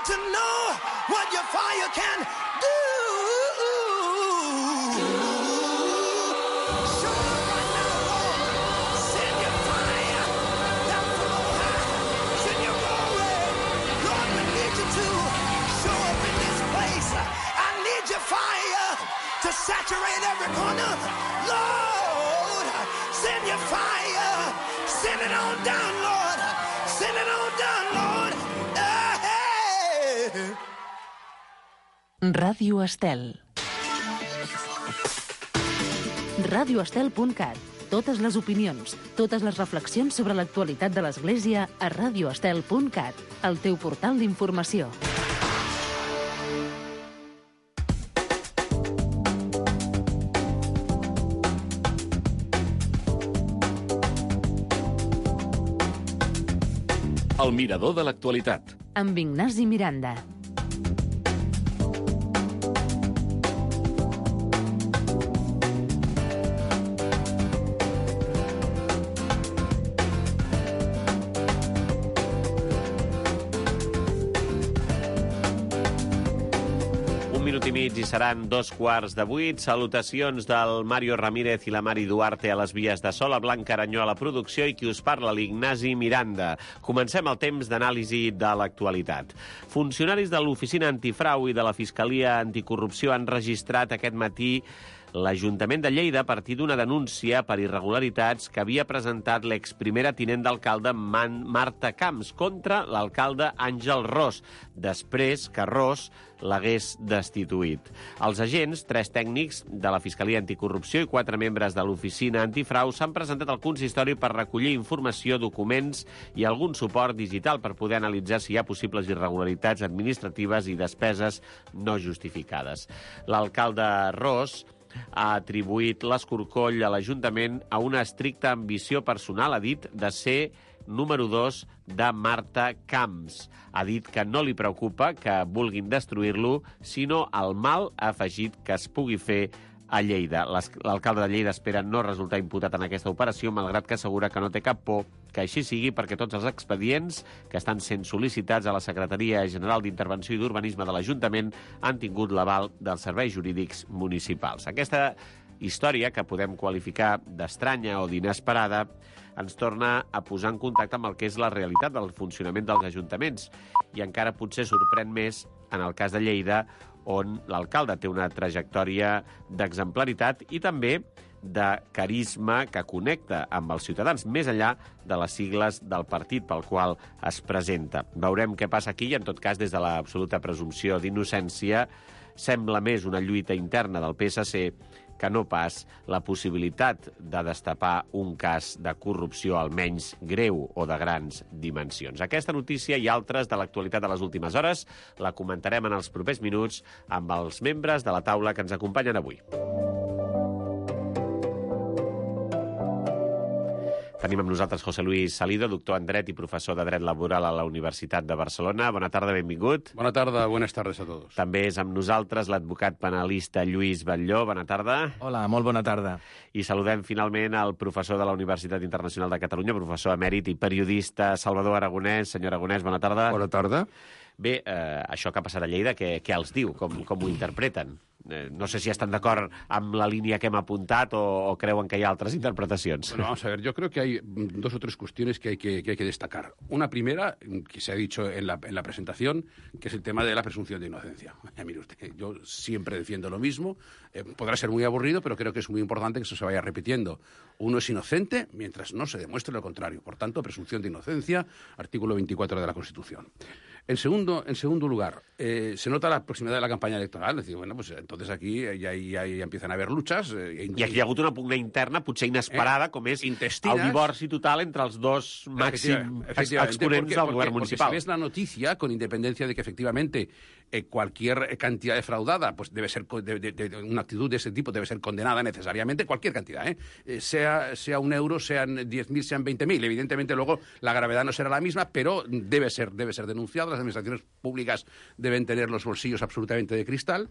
to know what your fire can do. Show up right now, Lord. Send your fire down from on high. Send your glory. Lord, we need you to show up in this place. I need your fire to saturate every corner. Lord, send your fire. Send it on down, Lord. Send it on down, Lord. Hey. Ràdio Estel. radioestel.cat. Totes les opinions, totes les reflexions sobre l'actualitat de l'Església a radioestel.cat, el teu portal d'informació. El mirador de l'actualitat. Amb Ignasi Miranda. I mig i seran 7:45. Salutacions del Mario Ramírez i la Mari Duarte a les vies de so, la Blanca Aranyó a la producció i qui us parla, l'Ignasi Miranda. Comencem el temps d'anàlisi de l'actualitat. Funcionaris de l'Oficina Antifrau i de la Fiscalia Anticorrupció han registrat aquest matí l'Ajuntament de Lleida a partir d'una denúncia per irregularitats que havia presentat l'exprimera tinent d'alcalde Marta Camps contra l'alcalde Àngel Ros, després que Ros l'hagués destituït. Els agents, 3 tècnics de la Fiscalia Anticorrupció i 4 membres de l'Oficina Antifrau s'han presentat al consistori per recollir informació, documents i algun suport digital per poder analitzar si hi ha possibles irregularitats administratives i despeses no justificades. L'alcalde Ros ha atribuït l'escorcoll a l'Ajuntament a una estricta ambició personal, ha dit, de ser número 2 de Marta Camps. Ha dit que no li preocupa que vulguin destruir-lo, sinó el mal, ha afegit, que es pugui fer a Lleida. L'alcalde de Lleida espera no resultar imputat en aquesta operació, malgrat que assegura que no té cap por que així sigui, perquè tots els expedients que estan sent sol·licitats a la Secretaria General d'Intervenció i d'Urbanisme de l'Ajuntament han tingut l'aval dels serveis jurídics municipals. Aquesta història, que podem qualificar d'estranya o d'inesperada, ens torna a posar en contacte amb el que és la realitat del funcionament dels ajuntaments i encara potser sorprèn més en el cas de Lleida, on l'alcalde té una trajectòria d'exemplaritat i també de carisma que connecta amb els ciutadans, més enllà de les sigles del partit pel qual es presenta. Veurem què passa aquí i, en tot cas, des de l'absoluta presumpció d'innocència, sembla més una lluita interna del PSC que no pas la possibilitat de destapar un cas de corrupció almenys greu o de grans dimensions. Aquesta notícia i altres de l'actualitat de les últimes hores la comentarem en els propers minuts amb els membres de la taula que ens acompanyen avui. Tenim amb nosaltres José Luis Salido, doctor en Dret i professor de Dret Laboral a la Universitat de Barcelona. Bona tarda, benvingut. Bona tarda, buenas tardes a todos. També és amb nosaltres l'advocat penalista Lluís Batlló. Bona tarda. Hola, molt bona tarda. I saludem finalment el professor de la Universitat Internacional de Catalunya, professor emèrit i periodista Salvador Aragonès. Senyor Aragonès, bona tarda. Bona tarda. Bé, això que ha passat a Lleida, què els diu? Com ho interpreten? No sé si estan d'acord amb la línia que hem apuntat o creuen que hi ha altres interpretacions. Bueno, vamos a ver, yo creo que hay 2 o 3 cuestiones que hay que destacar. Una primera, que se ha dicho en la presentación, que es el tema de la presunción de inocencia. Mire usted, yo siempre defiendo lo mismo. Podrá ser muy aburrido, pero creo que es muy importante que eso se vaya repitiendo. Uno es inocente mientras no se demuestre lo contrario. Por tanto, presunción de inocencia, artículo 24 de la Constitución. En segundo lugar, se nota la proximidad de la campaña electoral. Es decir, bueno, pues entonces aquí ya empiezan a haver luchas. I aquí hi ha hagut una pugna interna, potser inesperada, com és intestinas, el divorci total entre els dos màxims exponents del govern municipal. Porque si ves la noticia, con independencia de que efectivamente cualquier cantidad defraudada pues debe ser de una actitud de ese tipo debe ser condenada necesariamente, cualquier cantidad, sea 1 euro, sean 10.000, sean 20.000. Evidentemente luego la gravedad no será la misma, pero debe ser denunciado. Las administraciones públicas deben tener los bolsillos absolutamente de cristal.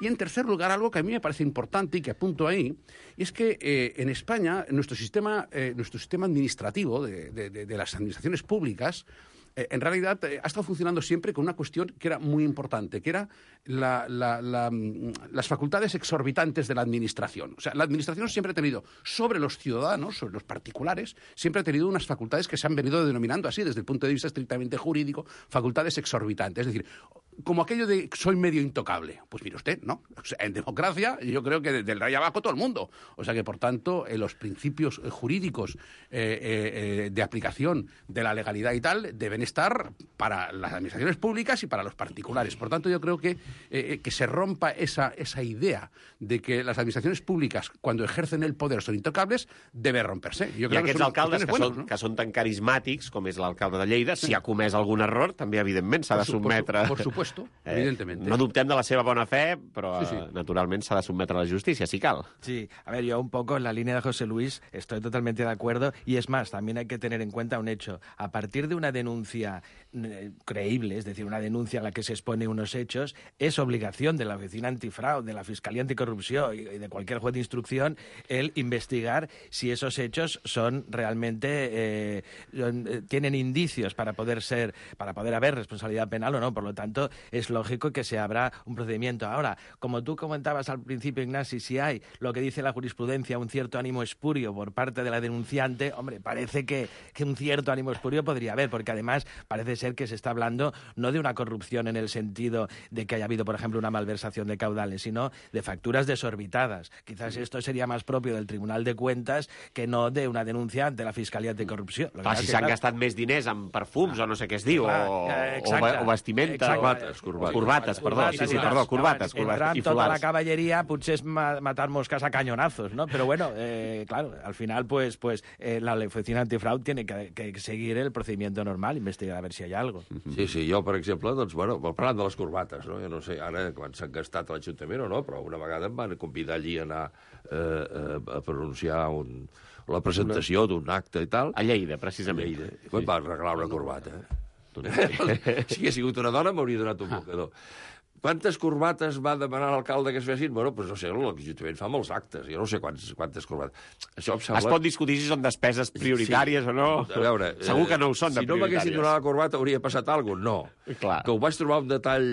Y en tercer lugar, algo que a mí me parece importante y que apunto ahí, y es que en España nuestro sistema administrativo de las administraciones públicas en realidad ha estado funcionando siempre con una cuestión que era muy importante, que era las facultades exorbitantes de la administración. O sea, la administración siempre ha tenido sobre los ciudadanos, sobre los particulares, siempre ha tenido unas facultades que se han venido denominando así, desde el punto de vista estrictamente jurídico, facultades exorbitantes. Es decir, como aquello de soy medio intocable. Pues mire usted, ¿no? O sea, en democracia yo creo que del rey abajo todo el mundo. O sea que, por tanto, los principios jurídicos de aplicación de la legalidad y tal deben estar para las administraciones públicas y para los particulares. Por tanto, yo creo que se rompa esa idea de que las administraciones públicas, cuando ejercen el poder, son intocables, debe romperse. Jo I aquests alcaldes que són tan carismàtics, com és l'alcalde de Lleida, si ha comès algun error, també, evidentment, s'ha de sotmetre... Por supuesto, evidentemente. No dubtem de la seva bona fe, però naturalment s'ha de sotmetre a la justícia, si cal. Sí, a ver, yo un poco en la línea de José Luis estoy totalmente de acuerdo, y es más, también hay que tener en cuenta un hecho. A partir de una denuncia creíble, es decir, una denuncia en la que se expone unos hechos, es obligación de la Oficina Antifraude, de la Fiscalía Anticorrupción y de cualquier juez de instrucción el investigar si esos hechos son realmente tienen indicios para poder haber responsabilidad penal o no. Por lo tanto, es lógico que se abra un procedimiento. Ahora, como tú comentabas al principio, Ignasi, si hay lo que dice la jurisprudencia, un cierto ánimo espurio por parte de la denunciante, hombre, parece que un cierto ánimo espurio podría haber, porque además parece ser que se está hablando no de una corrupción en el sentido de que haya habido, por ejemplo, una malversación de caudales, sino de facturas desorbitadas. Quizás esto sería más propio del Tribunal de Cuentas que no de una denuncia ante la Fiscalía Anticorrupció. Clar, si s'han gastat més diners en perfums o no sé què es diu, o vestimenta... Corbates, perdó. Corbates. Entrar amb tota la caballeria potser és matar moscas a cañonazos, ¿no? Pero bueno, claro, al final pues la Oficina Antifraude tiene que seguir el procedimiento normal, investigar a ver si hay algo. Sí, jo, per exemple, doncs, bueno, parlant de les corbates, no? Jo no sé ara quan s'han gastat a l'Ajuntament o no, però una vegada em van convidar allí a anar a pronunciar la presentació d'un acte i tal. A Lleida, precisament. I em van regalar una corbata. Si hagués sigut una dona m'hauria donat un mocador. Quantes corbates va demanar l'alcalde que es fessin? Bueno, doncs no sé, l'Ajuntament fa molts actes, jo no sé quantes corbates. Això em sembla... Es pot discutir si són despeses prioritàries o no. A veure, segur que no ho són de prioritàries. Si no m'haguessin donat la corbata hauria passat alguna cosa? No. Clar. Que ho vaig trobar un detall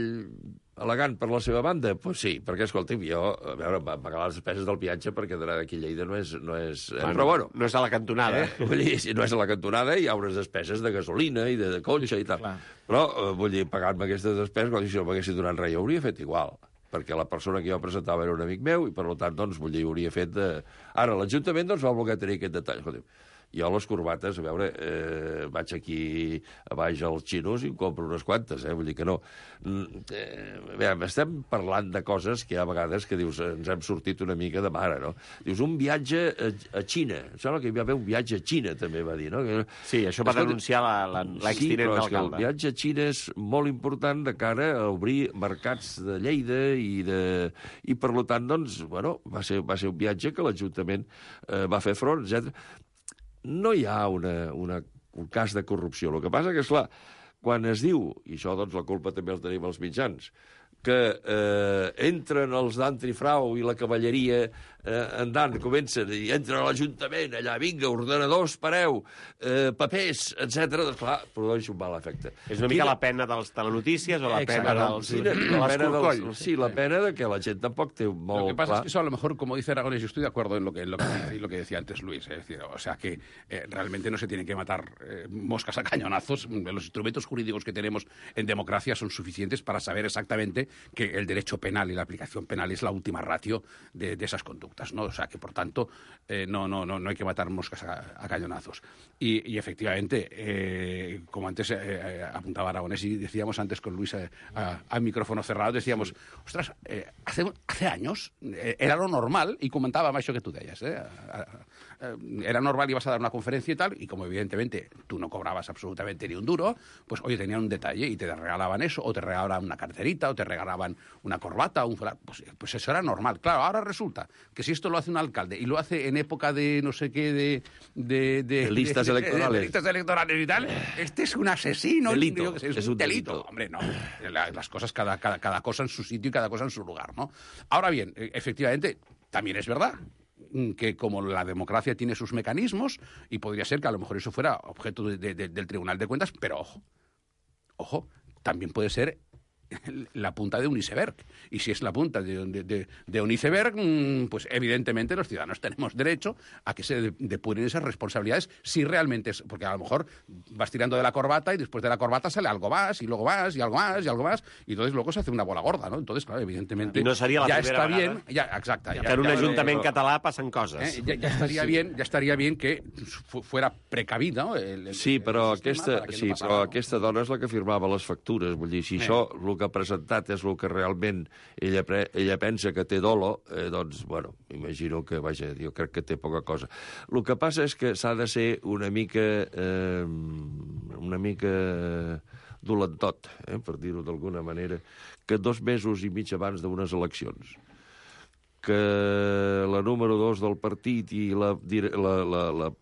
elegant per la seva banda? Doncs sí, perquè, escolti'm, jo, a veure, em va pagar les despeses del viatge perquè d'anar d'aquí a Lleida no és... Però bueno... No és a la cantonada. Vull dir, si no és a la cantonada, hi ha unes despeses de gasolina i de cotxe i tal. Clar. Però, vull dir, pagant-me aquestes despeses, si no m'haguessin donat res, jo hauria fet igual, perquè la persona que jo presentava era un amic meu i, per tant, doncs, vull dir, hauria fet... Ara, l'Ajuntament, doncs, va voler tenir aquest detall. Escolta'm, jo les corbates, a veure, vaig aquí a baix als xinos i em compro unes quantes, vull dir que no. Estem parlant de coses que hi ha vegades que dius, ens hem sortit una mica de mare, no? Dius, un viatge a Xina. Em sembla que hi va haver un viatge a Xina, també va dir, no? Sí, això va denunciar l'extinent d'alcalde. Sí, però el viatge a Xina és molt important de cara a obrir mercats de Lleida i per tant, doncs, bueno, va ser un viatge que l'Ajuntament va fer front, etc. No hi ha un cas de corrupció. El que passa que, esclar, quan es diu, i això, doncs, la culpa també el tenim els mitjans, que entren els d'Antifrau i la cavalleria andant, comencen, i entren a l'Ajuntament, allà, vinga, ordenadors, pareu, papers, etc. Doncs, clar, produeix un mal efecte. És una mica la pena dels telenotícies o la pena dels corcolls? Sí, la pena de que la gent tampoc té molt clar. Lo que pasa es que eso, a lo mejor, como dice Aragonés, yo estoy de acuerdo en lo que decía antes Luis. Es decir, o sea, que realmente no se tienen que matar moscas a cañonazos. Los instrumentos jurídicos que tenemos en democracia son suficientes para saber exactamente que el derecho penal y la aplicación penal es la última ratio de esas conductas, ¿no? O sea, que por tanto no hay que matar moscas a cañonazos. Y efectivamente, como antes apuntaba Aragonés y decíamos antes con Luis a micrófono cerrado, decíamos, ostras, hace años era lo normal, y comentábamos eso que tú decías, era normal, ibas a dar una conferencia y tal, y como evidentemente tú no cobrabas absolutamente ni un duro, pues oye, tenían un detalle y te regalaban eso, o te regalaban una carterita, o te regalaban una corbata, pues eso era normal. Claro, ahora resulta que si esto lo hace un alcalde y lo hace en época de no sé qué, de listas electorales. De listas electorales y tal, este es un asesino. Delito. Es un delito. Hombre, no. Las cosas, cada cosa en su sitio y cada cosa en su lugar, ¿no? Ahora bien, efectivamente, también es verdad que como la democracia tiene sus mecanismos, y podría ser que a lo mejor eso fuera objeto del Tribunal de Cuentas, pero ojo, ojo, también puede ser la punta de un iceberg. Y si es la punta de un iceberg, pues evidentemente los ciudadanos tenemos derecho a que se depuren esas responsabilidades si realmente es... Porque a lo mejor vas tirando de la corbata y después de la corbata sale algo más, y luego más, y algo más, y algo más, y entonces luego se hace una bola gorda, ¿no? Entonces, claro, evidentemente... I no seria la ja primera està vegada. bien, exacte. Que en un ajuntament català passen coses. Ya estaría bien que fuera precavido, ¿no? Sí, però sistema para que no pasara, no? aquesta dona és la que firmava les factures. Vull dir, si això, el que ha presentat és el que realment ella pensa que té dolo, doncs, bueno, imagino que, vaja, jo crec que té poca cosa. El que passa és que s'ha de ser una mica dolentot, per dir-ho d'alguna manera, que 2 mesos i mig abans d'unes eleccions que la número 2 del partit i la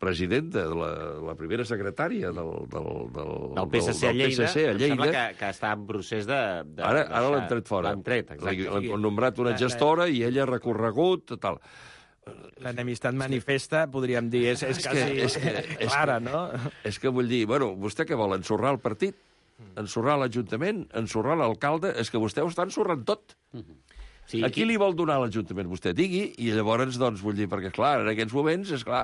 presidenta, la primera secretària del PSC a Lleida, em sembla que està en procés de... Ara l'han tret fora. L'han tret, exacte. L'han nombrat una gestora i ella ha recorregut, tal. L'enemistat manifesta, podríem dir, és clara, no? És que vull dir, bueno, vostè què vol, ensorrar el partit? Ensorrar l'Ajuntament? Ensorrar l'alcalde? És que vostè ho està ensorrant tot. Sí, a qui li vol donar l'Ajuntament? Vostè digui, i llavors, doncs, vull dir, perquè, clar, en aquests moments, és clar,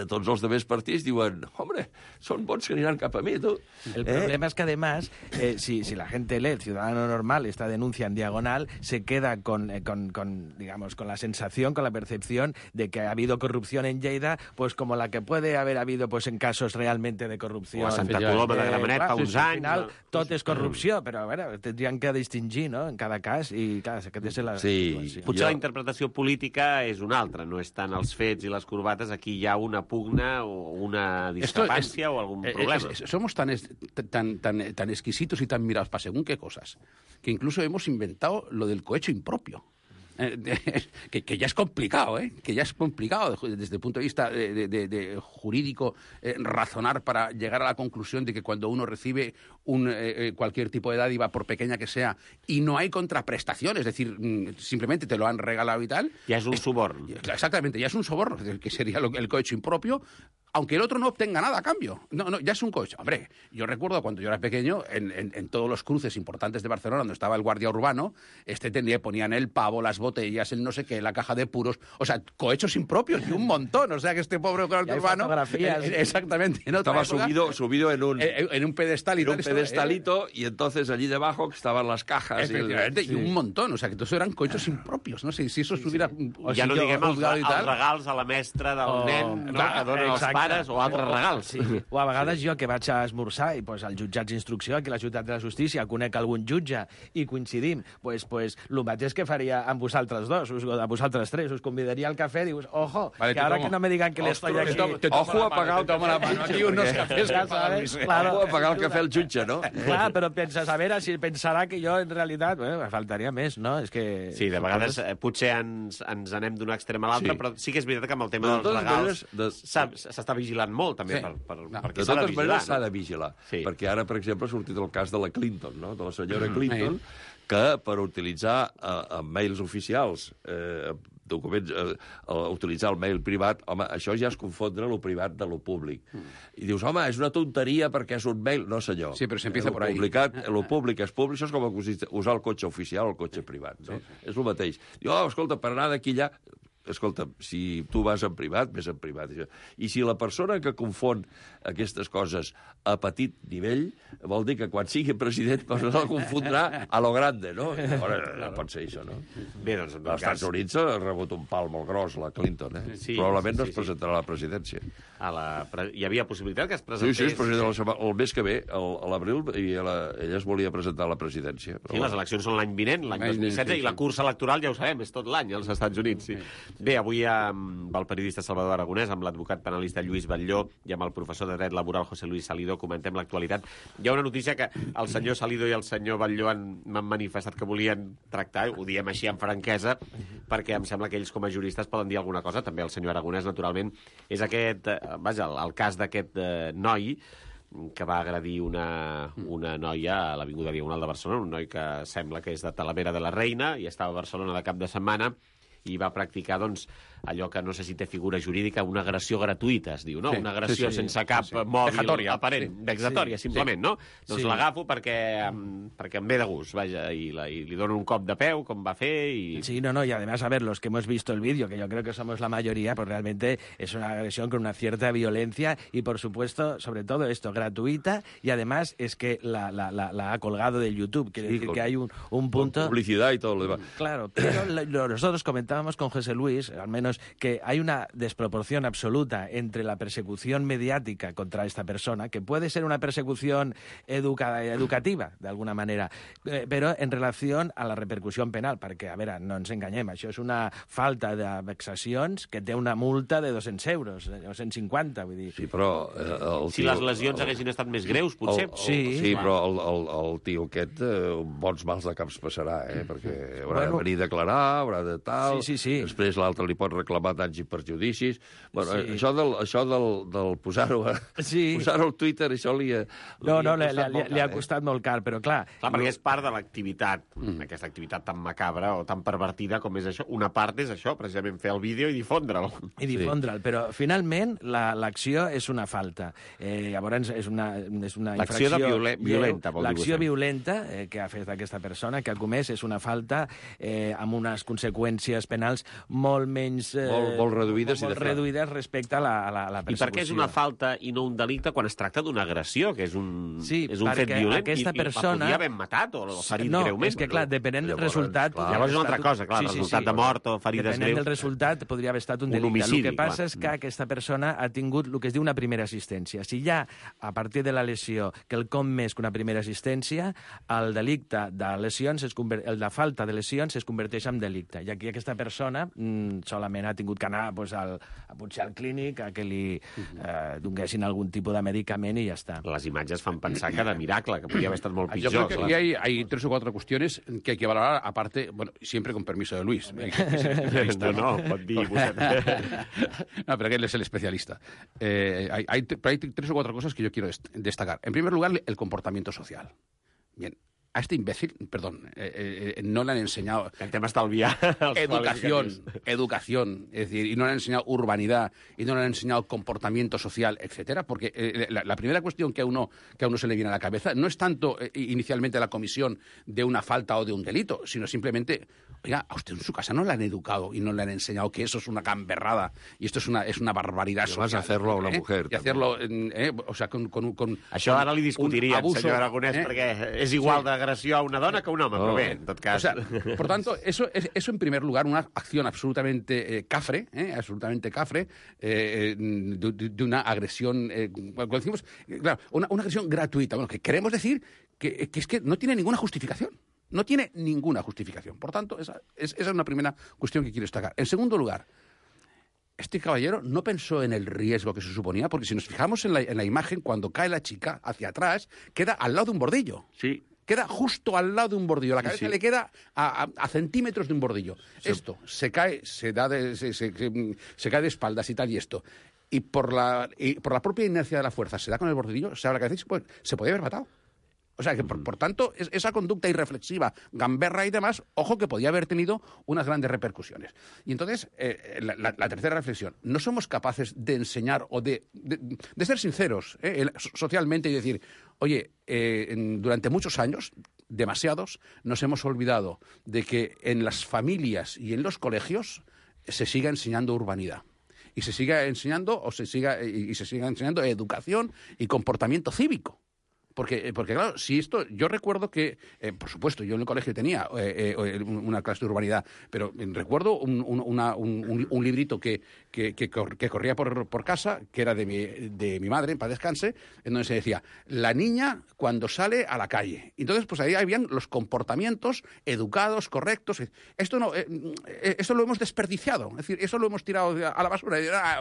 tots els demés partits diuen, hombre, són bons que aniran cap a mi, tu. El problema es que, además, si la gente lee, el ciudadano normal, esta denuncia en diagonal, se queda con la sensación, con la percepción de que ha habido corrupción en Lleida, pues como la que puede haber habido pues en casos realmente de corrupción. O a Santa Coloma de Gramenet fa uns anys. Al final, tot és corrupció, però, a veure, tindrien que distingir, no?, en cada cas, i, clar, aquesta és la situació. Potser la interpretació política és una altra, no és tant els fets i les corbates, aquí hi ha una pugna o una discrepància o algun problema. Somos tan exquisitos y tan mirados para según qué cosas, que incluso hemos inventado lo del cohecho impropio. Que ya es complicado, que ya es complicado desde el punto de vista de jurídico razonar para llegar a la conclusión de que cuando uno recibe cualquier tipo de dádiva, por pequeña que sea, y no hay contraprestación, es decir, simplemente te lo han regalado y tal... Ya es un soborno. Exactamente, ya es un soborno, que sería el cohecho impropio, aunque el otro no obtenga nada a cambio. No, ya es un cohecho. Hombre, yo recuerdo cuando yo era pequeño, en todos los cruces importantes de Barcelona, donde estaba el guardia urbano, ponían el pavo, las botellas, el no sé qué, la caja de puros, o sea, cohechos impropios y un montón, o sea, que este pobre guardia urbano... fotografías. Exactamente. Estaba subido en un pedestal y en un pedestalito, y entonces allí debajo estaban las cajas. Y un montón, o sea, que todos eran cohechos impropios, no sé, si eso estuviera... O ja no diguem els regals a la mestra del nen, no?, que donen els pares, o altres regals. Sí. O a vegades jo, que vaig a esmorzar, i pues, als jutjats d'instrucció, aquí a la Ciutat de la Justícia, conec algun jutge i coincidim, pues el mateix que faria amb vosaltres dos, a vosaltres tres, us convidaria al cafè, dius, ojo, vale, que ara que no me digan que estoy aquí... Ojo a pagar el cafè al jutge. Unos cafés, Ojo a pagar el cafè al jutge, no? Clar, però penses, a veure, si pensarà que jo, en realitat, faltaria més, no? És que... Sí, de vegades potser ens anem d'un extrem a l'altre, però sí que és veritat que amb el tema dels regals s'està vigilant molt, també, perquè s'ha de vigilar. De totes maneres s'ha de vigilar, perquè ara, per exemple, ha sortit el cas de la Clinton, no?, de la senyora Clinton, que per utilitzar mails oficials, documents, utilitzar el mail privat, home, això ja és confondre lo privat de lo públic. I dius, home, és una tonteria perquè és un mail. No, senyor. Sí, però s'empieza por ahí. Lo públic és públic, això és com usar el cotxe oficial o el cotxe privat, no? És el mateix. Diu, escolta, per anar d'aquí allà... Escolta, si tu vas en privat, ves en privat. I si la persona que confon aquestes coses a petit nivell, vol dir que quan sigui president no la confondrà a lo grande, no? No pot ser això, no? Bé, doncs... Als Estats Units ha rebut un pal molt gros, la Clinton, Sí, probablement no es presentarà a la presidència. Hi havia possibilitat que es presentés... Sí, es presenta el mes que ve, a l'abril, i ella es volia presentar a la presidència. Sí, les eleccions són l'any vinent, l'any 2016, i la cursa electoral, ja ho sabem, és tot l'any als Estats Units, sí. Bé, avui amb el periodista Salvador Aragonès, amb l'advocat penalista Lluís Batlló i amb el professor de dret laboral José Luis Salido comentem l'actualitat. Hi ha una notícia que el senyor Salido i el senyor Batlló m'han manifestat que volien tractar, ho diem així amb franquesa, perquè em sembla que ells com a juristes poden dir alguna cosa, també el senyor Aragonès, naturalment, és aquest, el cas d'aquest noi que va agredir una noia a l'Avinguda Diagonal de Barcelona, un noi que sembla que és de Talavera de la Reina i estava a Barcelona de cap de setmana, i va practicar, doncs, allò que no sé si té figura jurídica, una agressió gratuïta, es diu, no? Una agressió sense cap mòbil aparent, vexatòria, simplement, no? Doncs l'agafo perquè em ve de gust, vaja, i li dono un cop de peu, com va fer, y... Sí, no, y además, a ver, los que hemos visto el vídeo, que yo creo que somos la mayoría, pues realmente es una agresión con una cierta violencia y, por supuesto, sobre todo esto, gratuita, y además es que la ha colgado del YouTube, quiere decir que hay un punto... Con publicidad y todo lo demás. Claro, pero nosotros comentábamos con José Luis, al menos, que hay una desproporción absoluta entre la persecución mediática contra esta persona, que puede ser una persecución educativa, de alguna manera, però en relació a la repercussió penal, perquè, a veure, no ens enganyem, això és una falta de vexacions que té una multa de 200 euros, 250, vull dir... Sí, però... Si les lesions haguessin estat més greus, potser... Sí, però el tio aquest bons mals de caps passarà, perquè haurà de venir a declarar, haurà de tal... Sí. Després l'altre li pot reclamar danys i perjudicis... Bueno, això del posar-ho al Twitter, això li ha costat molt car, però clar... Clar, perquè és part de l'activitat, aquesta activitat tan macabra o tan pervertida com és això. Una part és això, precisament fer el vídeo i difondre'l. Però finalment l'acció és una falta. Llavors és una l'acció violenta, vol dir. L'acció violenta que ha fet aquesta persona, que ha comès, és una falta amb unes conseqüències penals molt menys... Molt reduïdes respecte a la persecució. I per què és una falta i no un delicte quan es tracta d'una agressió, que és un fet violent, aquesta persona... la podia haver matat o ferit greument? No, és que, clar, depenent del resultat... Llavors és una altra cosa, clar, el resultat de mort o ferides greus... Depenent del resultat podria haver estat un delicte. Homicidi, el que passa és que aquesta persona ha tingut el que es diu una primera assistència. Si ja, a partir de la lesió, quelcom més que una primera assistència, el delicte de lesions, el de falta de lesions, es converteix en delicte. I aquí aquesta persona solament ha tingut que anar potser al clínic a que li donguessin algun tipus de medicament i ja està. Les imatges fan pensar que de miracle, que podria haver estat molt pitjor. Yo creo que hay 3 o 4 cuestiones que hay que valorar, aparte, bueno, siempre con permiso de Luis. No, pot dir No, pero que él es el especialista. Hay 3 o 4 cosas que yo quiero destacar. En primer lugar, el comportamiento social. Bien. A este imbécil, perdón, no le han enseñado... Intentem estalviar educación, es decir, y no le han enseñado urbanidad, y no le han enseñado comportamiento social, etcétera, porque la primera cuestión que a uno se le viene a la cabeza no es tanto inicialmente la comisión de una falta o de un delito, sino simplemente, oiga, a usted en su casa no le han educado y no le han enseñado que eso es una gamberrada y esto es una barbaridad social. Vas a hacerlo a una mujer. Y hacerlo, o sea, con Això ara li discutiríem, senyor Aragonès, perquè és igual d'agressió a una dona que a un home, però bé, en tot cas... O sea, por tanto, eso en primer lugar, una acción absolutamente cafre, de una agresión, cuando decimos, claro, una agresión gratuita, bueno, que queremos decir que es que no tiene ninguna justificación. No tiene ninguna justificación. Por tanto, esa es una primera cuestión que quiero destacar. En segundo lugar, este caballero no pensó en el riesgo que se suponía, porque si nos fijamos en la imagen, cuando cae la chica hacia atrás, queda al lado de un bordillo. Sí. Queda justo al lado de un bordillo. La cabeza le queda a centímetros de un bordillo. Sí. Esto se cae, se cae de espaldas y tal, y esto. Y por la propia inercia de la fuerza se da con el bordillo, se abre la cabeza y se podía haber matado. O sea, que por tanto, esa conducta irreflexiva, gamberra y demás, ojo que podía haber tenido unas grandes repercusiones. Y entonces, la tercera reflexión, no somos capaces de enseñar o de ser sinceros socialmente y decir, oye, durante muchos años, demasiados, nos hemos olvidado de que en las familias y en los colegios se siga enseñando urbanidad. Y se siga enseñando enseñando educación y comportamiento cívico. Porque claro, si esto... Yo recuerdo que, por supuesto, yo en el colegio tenía una clase de urbanidad, pero recuerdo un librito que corría por casa, que era de mi madre, en paz descanse, en donde se decía, la niña cuando sale a la calle. Entonces, pues ahí habían los comportamientos educados, correctos. Esto lo hemos desperdiciado, es decir, eso lo hemos tirado a la basura.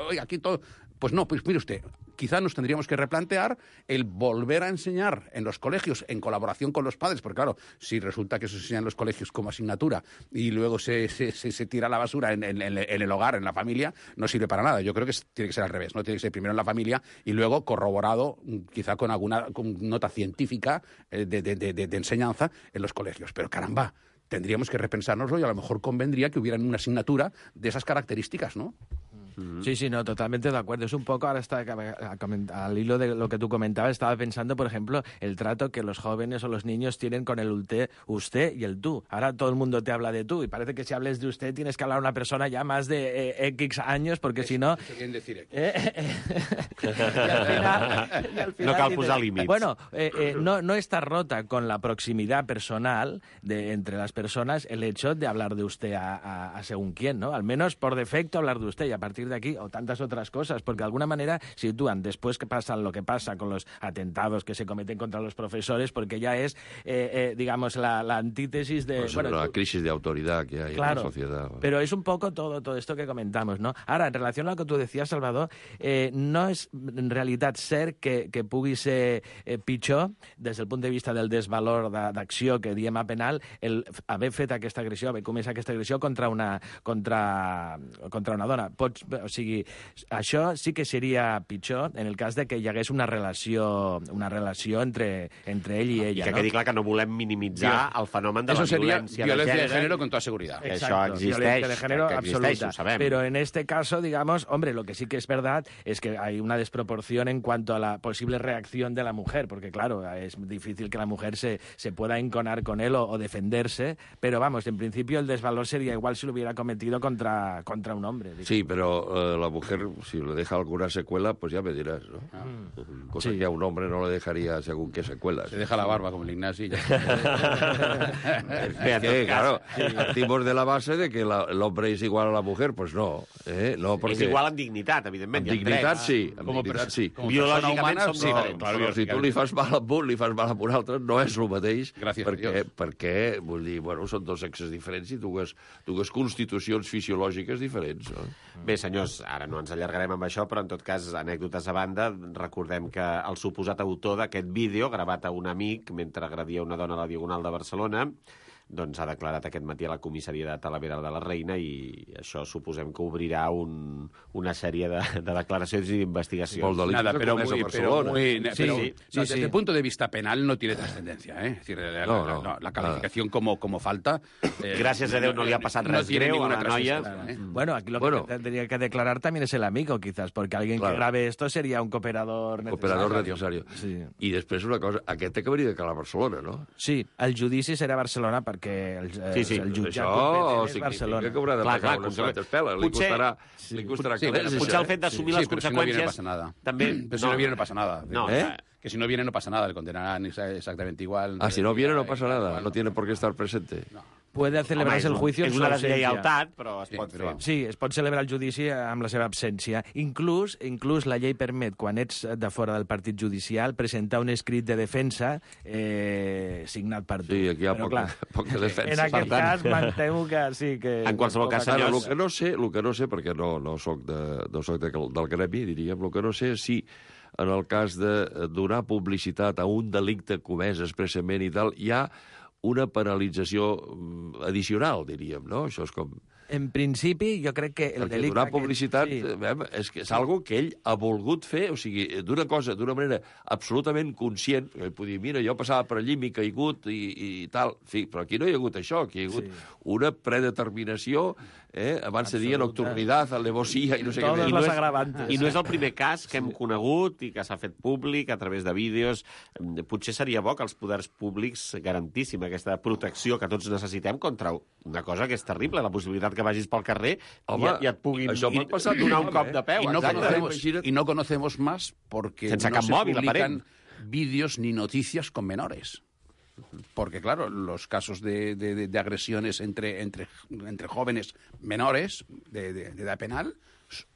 Oiga, aquí todo... Pues no, pues mire usted, quizá nos tendríamos que replantear el volver a enseñar en los colegios en colaboración con los padres, porque claro, si resulta que se enseña en los colegios como asignatura y luego se tira a la basura en el hogar, en la familia, no sirve para nada. Yo creo que tiene que ser al revés, ¿no? Tiene que ser primero en la familia y luego corroborado quizá con alguna nota científica de enseñanza en los colegios. Pero caramba, tendríamos que repensárnoslo y a lo mejor convendría que hubiera una asignatura de esas características, ¿no? Sí, no, totalmente de acuerdo. Es un poco, ahora está al hilo de lo que tú comentabas, estaba pensando, por ejemplo, el trato que los jóvenes o los niños tienen con el usted y el tú. Ahora todo el mundo te habla de tú y parece que si hables de usted tienes que hablar a una persona ya más de X años, porque si no... Eso quiere decir X. y al final No cal dices, posar límits. Bueno, no está rota con la proximidad personal entre las personas el hecho de hablar de usted a según quién, ¿no? Al menos por defecto hablar de usted y a partir de aquí, o tantas otras cosas, porque de alguna manera sitúan después que pasa lo que pasa con los atentados que se cometen contra los profesores, porque ya es, digamos, la antítesis de... Pues la crisis de autoridad que hay en la sociedad. Pero es un poco todo esto que comentamos, ¿no? Ara, en relació a lo que tu decías, Salvador, no és en realitat cert que pugui ser pitjor des del punt de vista del desvalor d'acció que diem a penal el haver fet aquesta agressió, haver comès aquesta agressió contra una dona. O sigui, això sí que seria pitjor en el cas de que hi hagués una relació entre ell i ella. I que quedi clar que no volem minimitzar el fenomen de la violència de género con toda seguridad. Exacto, Això violencia de género absoluta. ho sabem. Pero en este caso, digamos, hombre, lo que sí que es verdad es que hay una desproporción en cuanto a la posible reacción de la mujer, porque claro, es difícil que la mujer se pueda enconar con él o defenderse, pero vamos, en principio el desvalor sería igual si lo hubiera cometido contra un hombre. Digamos. Sí, pero la mujer, si le deja alguna secuela, pues ya me dirás, ¿no? Cosa que a un hombre no le dejaría según qué secuelas. Se deja la barba como el Ignasi. Claro, partimos de la base de que el hombre es igual a la mujer, pues no. No porque... És igual en dignitat, evidentment. En dignitat sí, en dignitat sí. Biològicament som diferents. Però si tu li fas mal a un, li fas mal a un altre, no és el mateix. Gràcies a Dios. Perquè, vull dir, bueno, són dos sexes diferents i dues constitucions fisiològiques diferents. No? Bé, senyors, ara no ens allargarem amb això, però en tot cas, anècdotes a banda, recordem que el suposat autor d'aquest vídeo, gravat a un amic mentre agredia una dona a la Diagonal de Barcelona, doncs ha declarat aquest matí a la comissaria de Talavera de la Reina i això suposem que obrirà una sèrie de declaracions i d'investigacions. Nada, pero desde el punto de vista penal no tiene trascendencia, ¿eh? Es decir, la calificación como falta... Gràcies a Déu no li ha passat res greu a la noia. Bueno, aquí lo que tendría que declarar también es el amigo, quizás, porque alguien que grabe esto sería un cooperador necessario. Sí. I després una cosa, aquest acabaria de calar a Barcelona, no? Sí, el judici serà a Barcelona perquè el jutjat competent és Barcelona. Que haurà de pagar unes quantes peles. Li costarà calés. Potser el fet d'assumir les conseqüències... També... Pero si no viene no pasa nada. No, que si no viene no pasa nada, le condenarán exactamente igual. Si no viene no pasa nada, no tiene por qué estar presente. No. Puede celebrarse el juicio en su ausencia. És una deslleialtat, però es pot fer. Sí, es pot celebrar el judici amb la seva absència. Inclús la llei permet, quan ets de fora del partit judicial, presentar un escrit de defensa signat per tu. Sí, aquí hi ha poca defensa. En aquest cas, m'entemo que sí que... En qualsevol cas, senyors... El que no sé, perquè no soc del gremi, diríem, el que no sé és si en el cas de donar publicitat a un delicte comès expressament i tal, hi ha una penalització addicional, diríem, no? Això és com... En principi, jo crec que el delicte... Donar publicitat és algo que ell ha volgut fer, o sigui, d'una manera absolutament conscient, que pot dir, mira, jo passava per allí, m'he caigut i tal, en fi, però aquí no hi ha hagut això, aquí hi ha hagut una predeterminació, abans se deia nocturnitat, alevosía, i no sé què més. Totes les agravantes. I no és el primer cas que hem conegut i que s'ha fet públic a través de vídeos. Potser seria bo que els poders públics garantíssim aquesta protecció que tots necessitem contra una cosa que és terrible, la possibilitat que vagis pel carrer i et puguin donar un cop de peu. Y no conocemos más porque sense no cap se mòbil, publican vídeos ni noticias con menores. Porque, claro, los casos de agresiones entre jóvenes menores de edad penal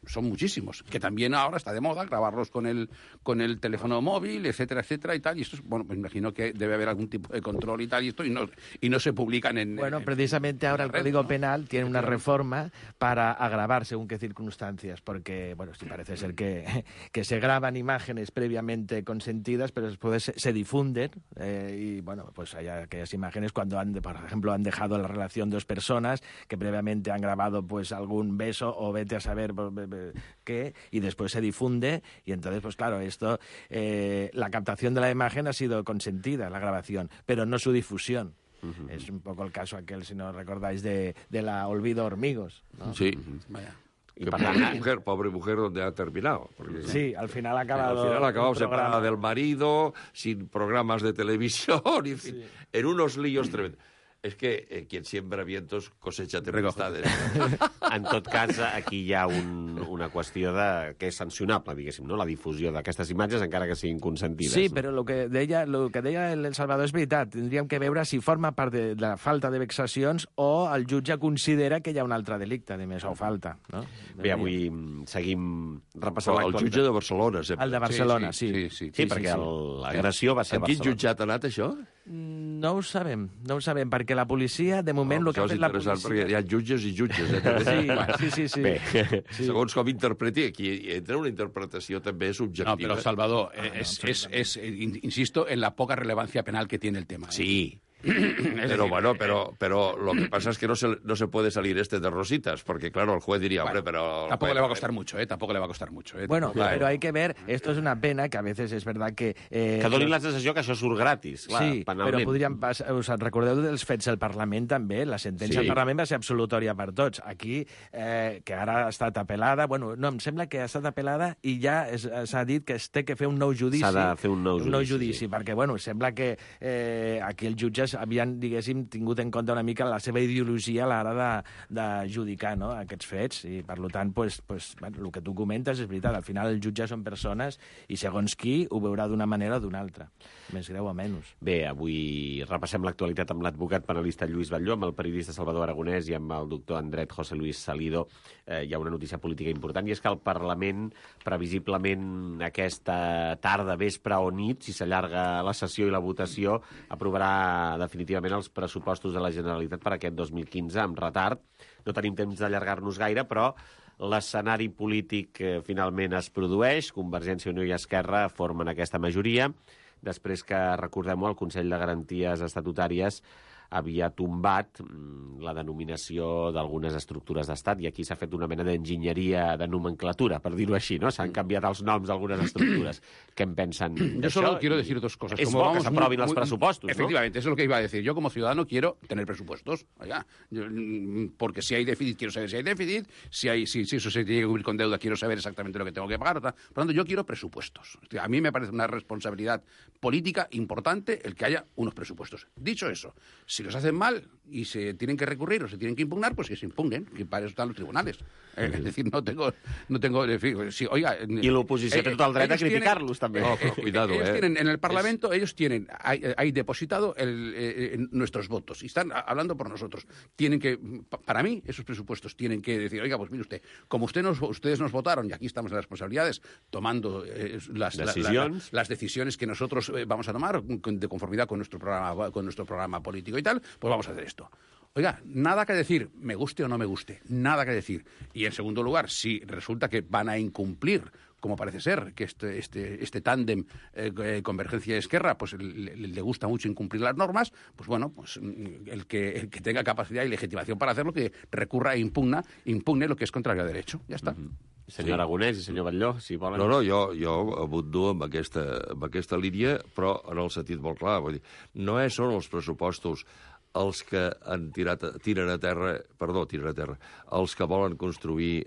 son muchísimos, que también ahora está de moda grabarlos con el teléfono móvil, etcétera, etcétera y tal, y esto es, bueno, me imagino que debe haber algún tipo de control y tal, y no se publican en... Bueno, precisamente ahora el Código Penal tiene una reforma para agravar según qué circunstancias, porque, bueno, sí parece ser que se graban imágenes previamente consentidas, pero después se difunden, y, bueno, pues hay aquellas imágenes cuando por ejemplo, han dejado la relación dos personas que previamente han grabado, pues, algún beso o vete a saber qué, y después se difunde, y entonces, pues claro, la captación de la imagen ha sido consentida, la grabación, pero no su difusión. Es un poco el caso aquel, si no recordáis, de la Olvido Hormigos, ¿no? Sí. Vaya. Y pobre mujer, donde ha terminado. Porque, Sí, al final ha acabado... Al final ha acabado el programa. separada del marido, sin programas de televisión, en fin, en unos líos tremendos. És que quien siembra vientos cosecha tempestades. En tot cas, aquí hi ha una qüestió que és sancionable, diguéssim, no? La difusió d'aquestes imatges, encara que siguin consentides. Sí, però el que deia el Salvador és veritat. Tindríem que veure si forma part de la falta de vexacions o el jutge considera que hi ha un altre delicte, de més, o falta. No? Bé, avui seguim repassant el jutge de Barcelona, sempre. El de Barcelona, sí. Sí, perquè l'agressió va ser a En quin Barcelona. jutjat ha anat, això? No ho sabem, perquè la policia, de moment, el que ha Això és fet la interessant, policia... perquè hi ha jutges i jutges. Sí. Bé, Segons com interpreti, aquí entra una interpretació també subjectiva. No, pero Salvador, insisto en la poca relevancia penal que tiene el tema. Sí. Pero lo que pasa es que no se puede salir de rositas, porque claro, el juez diría, hombre, pero... Tampoco le va a costar mucho, Tampoco le va a costar mucho, Bueno, pero hay que ver, esto es una pena, que a veces es verdad que... que donin la sensació que això surt gratis, clar, sí, penalment. però podríem passar... Us recordeu dels fets del Parlament, també? La sentència del Parlament va ser absolutòria per tots. Aquí, que ara ha estat apel·lada... Bueno, no, em sembla que ha estat apel·lada i ja s'ha dit que es té que fer un nou judici. S'ha de fer un nou judici, sí. Perquè, bueno, sembla que aquí els jutges havien, diguéssim, tingut en compte una mica la seva ideologia a l'hora d'adjudicar, no?, aquests fets, i per tant, bueno, el que tu comentes és veritat, al final els jutges són persones i segons qui ho veurà d'una manera o d'una altra, més greu o menys. Bé, avui repassem l'actualitat amb l'advocat penalista Lluís Batlló, amb el periodista Salvador Aragonès i amb el doctor en dret José Luis Salido. Hi ha una notícia política important, i és que el Parlament, previsiblement aquesta tarda, vespre o nit, si s'allarga la sessió i la votació, aprovarà definitivament els pressupostos de la Generalitat per aquest 2015 amb retard. No tenim temps d'allargar-nos gaire, però l'escenari polític finalment es produeix. Convergència, Unió i Esquerra formen aquesta majoria, després que, recordem-ho, el Consell de Garanties Estatutàries havia tombat la denominació d'algunes estructures d'estat, i aquí s'ha fet una mena d'enginyeria de nomenclatura, per dir-ho així, ¿no? S'han canviat els noms d'algunes estructuras. ¿Qué pensan de Yo solo això? quiero decir dos cosas. Es bo que s'aprovin els pressupostos, ¿no? Efectivamente, eso es lo que iba a decir. Yo, como ciudadano, quiero tener presupuestos. Oiga, porque si hay déficit, quiero saber si hay déficit. Si eso se tiene que cubrir con deuda, quiero saber exactamente lo que tengo que pagar. Por lo tanto, yo quiero presupuestos. A mí me parece una responsabilidad política importante el que haya unos presupuestos. Dicho eso, si los hacen mal y se tienen que recurrir o se tienen que impugnar, pues que se impugnen, que para eso están los tribunales. Es decir, no tengo si, oiga, I l'oposició té tot el dret a criticar-los, també. Cuidado, ellos tienen, en el Parlamento, ellos tienen hay depositado nuestros votos y están hablando por nosotros. Tienen que, para mí, esos presupuestos tienen que decir, oiga, pues mire usted, como ustedes nos votaron, y aquí estamos en las responsabilidades, tomando las decisiones que nosotros vamos a tomar de conformidad con nuestro programa político y tal, pues vamos a hacer esto. Oiga, nada que decir, me guste o no me guste, nada que decir. Y en segundo lugar, si resulta que van a incumplir, como parece ser, que este tándem Convergencia y Esquerra, pues le gusta mucho incumplir las normas, pues bueno, pues el que tenga capacidad y legitimación para hacerlo, que recurra e impugne lo que es contrario a derecho. Ya está. Senyor Aragonès i senyor Batlló, si volen... No, jo abundo amb aquesta línia, però en el sentit molt clar. Vull dir, no són els pressupostos els que tiren a terra, els que volen construir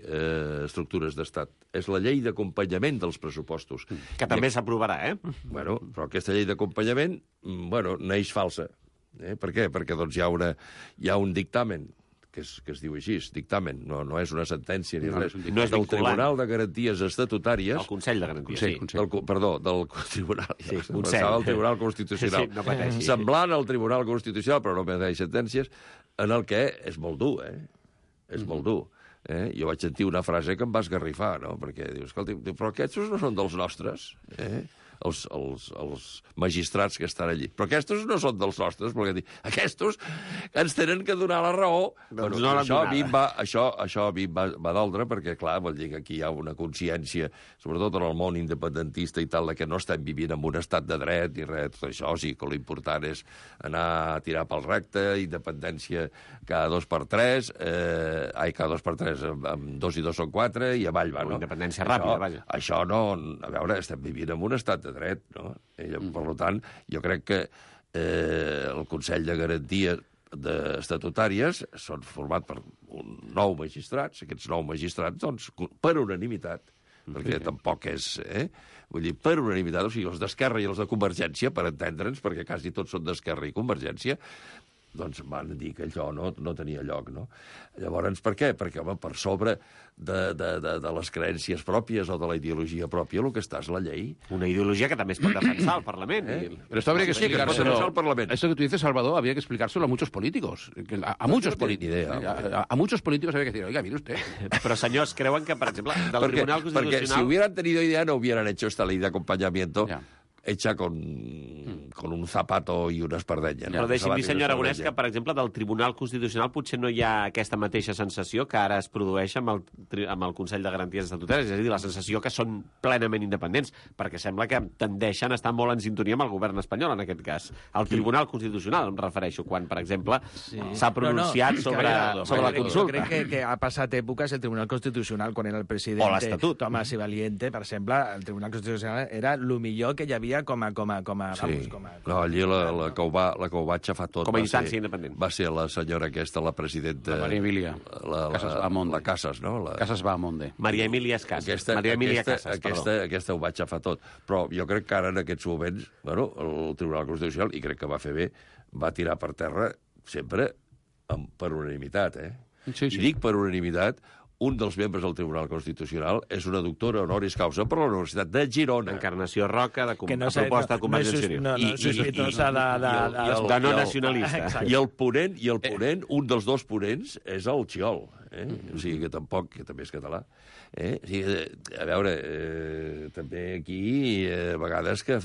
estructures d'estat. És la llei d'acompanyament dels pressupostos. Que també s'aprovarà, Bueno, però aquesta llei d'acompanyament, neix falsa. Per què? Perquè doncs, hi ha un dictamen que es diu així, dictamen, no és una sentència ni res, no és del vinculant. Tribunal de Garanties Estatutàries... El Consell de Garanties, sí. Del Tribunal. Sí, Pensava el Tribunal Constitucional. Sí, no pateixi. Semblant al Tribunal Constitucional, però no pateix sentències, en el que és molt dur, És molt dur. Jo vaig sentir una frase que em va esgarrifar, no? Perquè dius, escolta, però aquests no són dels nostres, els magistrats que estan allí. Però aquests no són dels nostres, perquè aquests ens tenen que donar la raó. Doncs no això a mi em va doldre, perquè, clar, vol dir que aquí hi ha una consciència, sobretot en el món independentista i tal, que no estem vivint en un estat de dret ni res. Tot això sí que l'important és anar a tirar pel recte, independència cada 2x3, cada 2x3 amb 2 i 2 són 4, i avall va, no? Independència ràpida, vaja. Això no... A veure, estem vivint en un estat de dret, no? Per tant, jo crec que el Consell de Garanties estatutàries són format per 9 magistrats. Aquests 9 magistrats, doncs, per unanimitat, perquè tampoc és... Vull dir, per unanimitat, o sigui, els d'Esquerra i els de Convergència, per entendre'ns, perquè quasi tots són d'Esquerra i Convergència, doncs van dir que allò no tenia lloc, no? Llavors, per què? Perquè, home, per sobre de les creences pròpies o de la ideologia pròpia, el que està és la llei. Una ideologia que també es pot defensar al Parlament. Pero esto habría que explicárselo. al Parlamento. Esto que tú dices, Salvador, habría que explicárselo a muchos políticos. A muchos políticos. A muchos políticos habría que decir, oiga, mire usted. Però, senyors, creuen que, per exemple, del Tribunal Constitucional... Porque si hubieran tenido idea, no hubieran hecho esta ley de acompañamiento hecha con un zapato i una espardenya. Però deixi'm dir, senyor Aragonès, que, per exemple, del Tribunal Constitucional potser no hi ha aquesta mateixa sensació que ara es produeix amb el Consell de Garanties Estatutàries, és a dir, la sensació que són plenament independents, perquè sembla que tendeixen a estar molt en sintonia amb el govern espanyol, en aquest cas. El Tribunal Constitucional, em refereixo, quan, per exemple, s'ha pronunciat sobre la consulta. Crec que ha passat èpoques el Tribunal Constitucional, quan era el president Tomás y Valiente, per exemple, el Tribunal Constitucional era el millor que hi havia com a no, allí la que ho va aixafar tot com a instància independent va ser la senyora aquesta, la presidenta Maria Emília Casas, no? Casas Bahamonde. Maria Emília Casas. Aquesta ho va aixafar tot. Però jo crec que ara, en aquests moments, bueno, el Tribunal Constitucional, i crec que va fer bé, va tirar per terra sempre per unanimitat, Sí. I dic per unanimitat, un dels membres del Tribunal Constitucional és una doctora honoris causa per la Universitat de Girona. Encarnació Roca, a proposta de Convergència i Unió. No sospitosa de no nacionalista. I el ponent, un dels dos ponents, és el Xiol. O sigui que tampoc, que també és català. O sigui, a veure, també aquí, a vegades que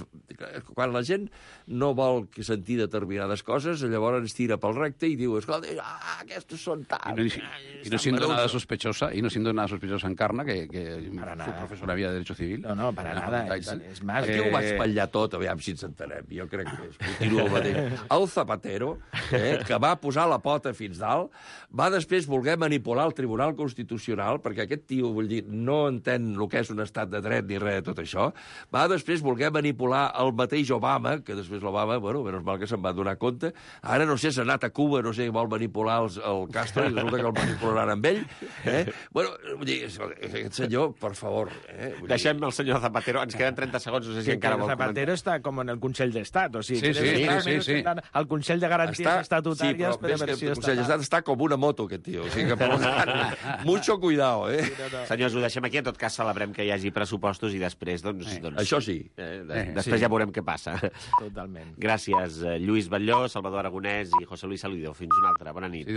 quan la gent no vol sentir determinades coses, llavors ens tira pel recte i diu, escolta, aquests són tal. Y no siendo nada sospechosa, Encarna, que su profesora había de Derecho Civil. No, para nada. És más... Aquí ho vaig espatllar tot, aviam si ens entenem. Jo crec que continua el mateix. El Zapatero, que va posar la pota fins dalt, va després voler manipular el Tribunal Constitucional, perquè aquest tio, vull dir, no entén el que és un estat de dret ni res de tot això, va després voler manipular el mateix Obama, que després l'Obama, bueno, menys mal que se'n va donar compte, ara no sé, s'ha anat a Cuba, no sé, vol manipular el Castro, i resulta que el manipularan amb ell. Bueno, vull dir, aquest senyor, per favor... Deixem el senyor Zapatero, ens queden 30 segons, no sé si encara vol comentar. Zapatero està com en el Consell d'Estat, o sigui... Sí. El Consell de Garanties Estatutàries... Sí, però el Consell d'Estat està com una moto, aquest tio. O sigui que, per tant, mucho cuidado, Senyors, ho deixem aquí. En tot cas, celebrem que hi hagi pressupostos i després, doncs... Això sí. Després ja veurem què passa. Totalment. Gràcies, Lluís Batlló, Salvador Aragonès i José Luis Salido. Fins una altra. Bona nit.